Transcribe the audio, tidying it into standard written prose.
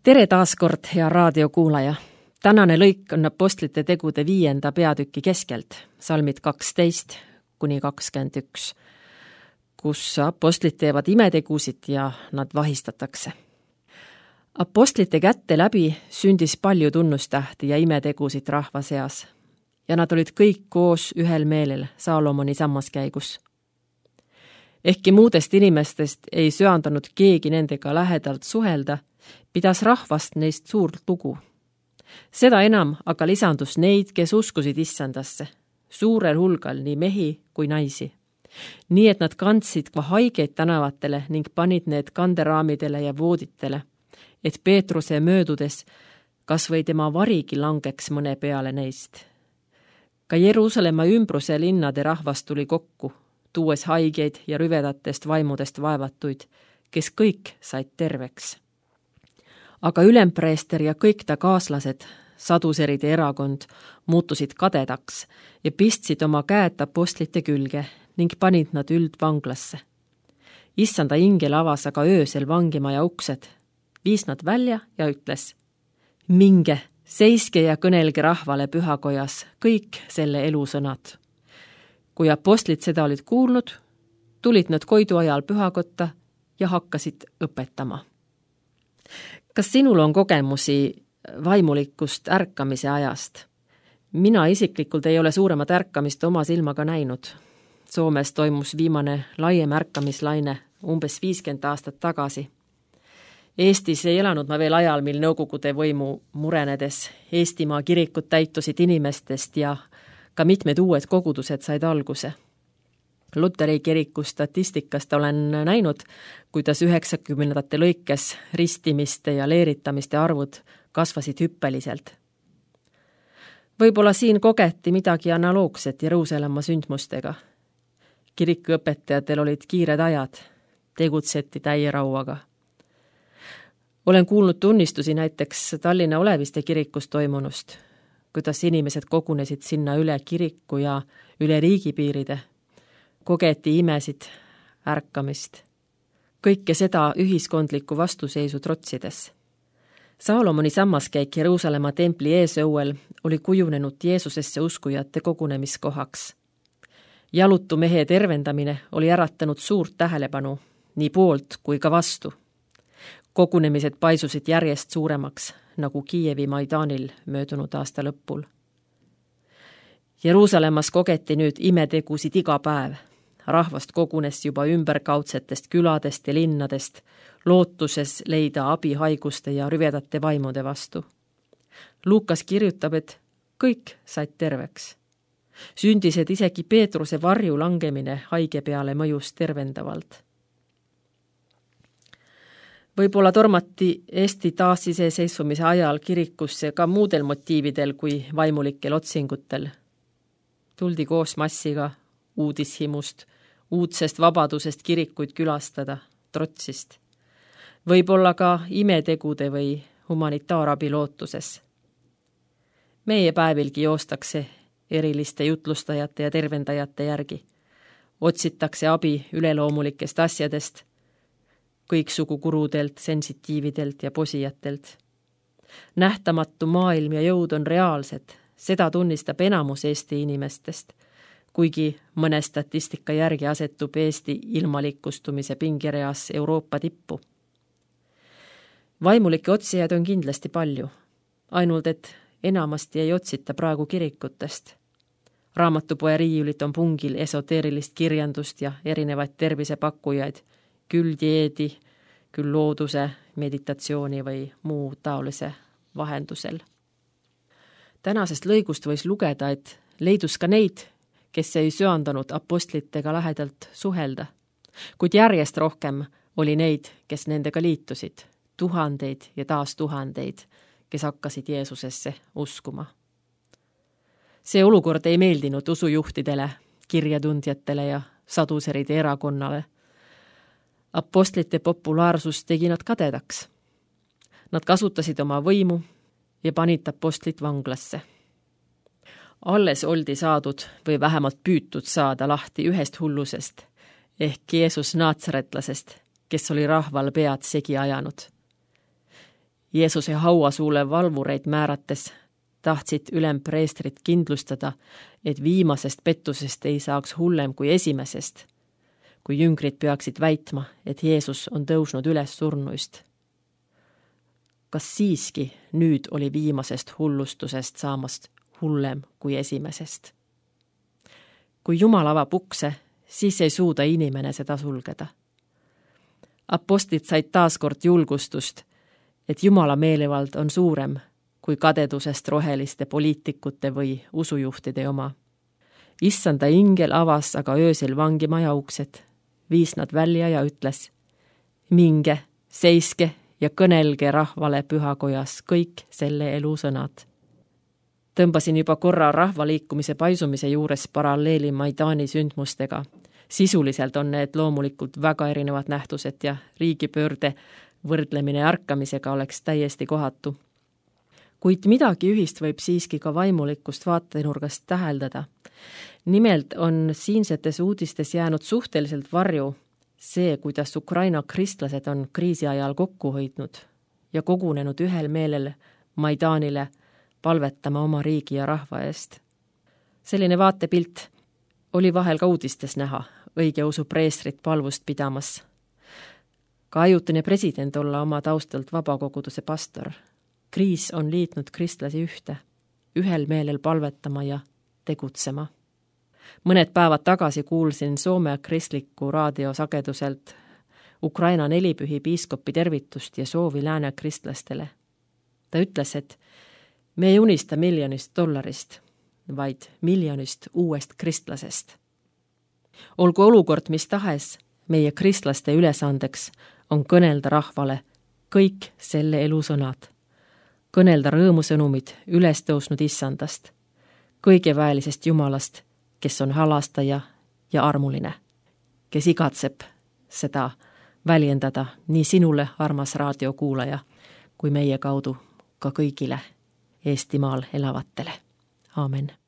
Tere taas kord, hea raadiokuulaja! Tänane lõik on Apostlite tegude 5. peatüki keskelt, salmid 12-21, kus apostlid teevad imetegusid ja nad vahistatakse. Apostlite kätte läbi sündis palju tunnustähti ja imetegusid rahva seas ja nad olid kõik koos ühel meelel Saalomoni sammaskäigus. Ehkki muudest inimestest ei söandanud keegi nendega lähedalt suhelda, pidas rahvast neist suurt lugu. Seda enam aga lisandus neid, kes uskusid issandasse, suurel hulgal nii mehi kui naisi. Nii et nad kandsid ka haigeid tänavatele ning panid need kanderaamidele ja vooditele, et Peetruse möödudes kas või tema varigi langeks mõne peale neist. Ka Jeruusalemma ümbruse linnade rahvast tuli kokku, tuues haigeid ja rüvedatest vaimudest vaevatuid, kes kõik said terveks. Aga ülempreester ja kõik ta kaaslased, saduseride erakond, muutusid kadedaks ja pistsid oma käed apostlite külge ning panid nad üldvanglasse. Issanda ingel avas aga öösel vangimaja uksed, viis nad välja ja ütles: minge, seiske ja kõnelge rahvale pühakojas kõik selle elusõnad. Kui apostlid seda olid kuulnud, tulid nad koidu ajal pühakotta ja hakkasid õpetama. Kas sinul on kogemusi vaimulikust ärkamise ajast? Mina isiklikult ei ole suuremat ärkamist oma silmaga näinud. Soomes toimus viimane laiem ärkamislaine umbes 50 aastat tagasi. Eestis ei elanud ma veel ajal, mil Nõukogude võimu murenedes Eestimaa kirikud täitusid inimestest ja ka mitmed uued kogudused said alguse. Luteri kiriku statistikast olen näinud, kuidas 90-ndate lõikes ristimiste ja leeritamiste arvud kasvasid hüppeliselt. Võib-olla siin kogeti midagi analoogset Jeruusalemma sündmustega. Kirikuõpetajatel olid kiired ajad, tegutseti täie rauaga. Olen kuulnud tunnistusi näiteks Tallinna Oleviste kirikus toimunust, kuidas inimesed kogunesid sinna üle kiriku ja üle riigipiiride. Kogeti imesid, ärkamist. Kõike seda ühiskondliku vastuseisu trotsides. Saalomoni sammaskäik Jeruusalemma templi eesõuel oli kujunenud Jeesusesse uskujate kogunemiskohaks. Jalutu mehe tervendamine oli äratanud suurt tähelepanu, nii poolt kui ka vastu. Kogunemised paisusid järjest suuremaks, nagu Kiievi Maidanil möödunud aasta lõpul. Jeruusalemmas kogeti nüüd imetegusid iga päev. Rahvast kogunes juba ümberkaudsetest küladest ja linnadest, lootuses leida abi haiguste ja rüvedate vaimude vastu. Luukas kirjutab, et kõik said terveks. Sündised isegi Peetruse varju langemine haige peale mõjus tervendavalt. Võib-olla tormati Eesti taasiseseisvumise ajal kirikusse ka muudel motiividel kui vaimulikel otsingutel. Tuldi koos massiga uudishimust, uudsest vabadusest kirikuid külastada, trotsist. Võib-olla ka imetegude või humanitaarabi lootuses. Meie päevilgi joostakse eriliste jutlustajate ja tervendajate järgi. Otsitakse abi üleloomulikest asjadest, kõiksugu kurudelt, sensitiividelt ja posijatelt. Nähtamatu maailm ja jõud on reaalsed, seda tunnistab enamus Eesti inimestest, kuigi mõne statistika järgi asetub Eesti ilmalikustumise pingereas Euroopa tippu. Vaimulike otsijad on kindlasti palju, ainult et enamasti ei otsita praegu kirikutest. Raamatupoe riiulit on pungil esoteerilist kirjandust ja erinevaid tervisepakkujaid, küll dieedi, küll looduse, meditatsiooni või muu taolise vahendusel. Tänasest lõigust võis lugeda, et leidus ka neid, kes ei söandanud apostlitega lähedalt suhelda, kuid järjest rohkem oli neid, kes nendega liitusid, tuhandeid ja taas tuhandeid, kes hakkasid Jeesusesse uskuma. See olukord ei meeldinud usujuhtidele, kirjatundjatele ja saduseride erakonnale. Apostlite populaarsus tegi nad kadedaks. Nad kasutasid oma võimu ja panid apostlid vanglasse. Alles oldi saadud või vähemalt püütud saada lahti ühest hullusest, ehk Jeesus naatsaretlasest, kes oli rahval pead segi ajanud. Jeesuse hauasuule valvureid määrates tahtsid ülempreestrid kindlustada, et viimasest pettusest ei saaks hullem kui esimesest, kui jüngrid peaksid väitma, et Jeesus on tõusnud üles surnuist. Kas siiski nüüd oli viimasest hullustusest saamast hullem kui esimesest? Kui Jumal avab ukse, siis ei suuda inimene seda sulgeda. Apostlid said taaskord julgustust, et Jumala meelevald on suurem kui kadedusest roheliste poliitikute või usujuhtide oma. Issanda ingel avas aga öösel vangimaja uksed, viis nad välja ja ütles: minge, seiske ja kõnelge rahvale pühakojas kõik selle elu sõnad. Tõmbasin juba korra rahvaliikumise paisumise juures paralleeli Maidani sündmustega. Sisuliselt on need loomulikult väga erinevad nähtused ja riigipöörde võrdlemine ärkamisega oleks täiesti kohatu. Kuid midagi ühist võib siiski ka vaimulikust vaatenurgast täheldada. Nimelt on siinsetes uudistes jäänud suhteliselt varju see, kuidas Ukraina kristlased on kriisi ajal kokku hoidnud ja kogunenud ühel meelel Maidanile palvetama oma riigi ja rahva eest. Selline vaatepilt oli vahel ka uudistes näha, õigeusu preestrit palvust pidamas. Ka ajutine president olla oma taustalt vabakoguduse pastor. Kriis on liitnud kristlasi ühte, ühel meelel palvetama ja tegutsema. Mõned päevad tagasi kuulsin Soome kristliku raadiosageduselt Ukraina nelipühi piiskopi tervitust ja soovi lääne kristlastele. Ta ütles, et me ei unista $1 miljonist, vaid $1 miljonist uuest kristlasest. Olgu olukord mis tahes, meie kristlaste ülesandeks on kõnelda rahvale kõik selle elu sõnad. Kõnelda rõõmusõnumid üles tõusnud issandast, kõigeväelisest Jumalast, kes on halastaja ja armuline, kes igatseb seda väljendada nii sinule, armas raadiokuulaja, kui meie kaudu ka kõigile Eestimaal elavatele. Aamen.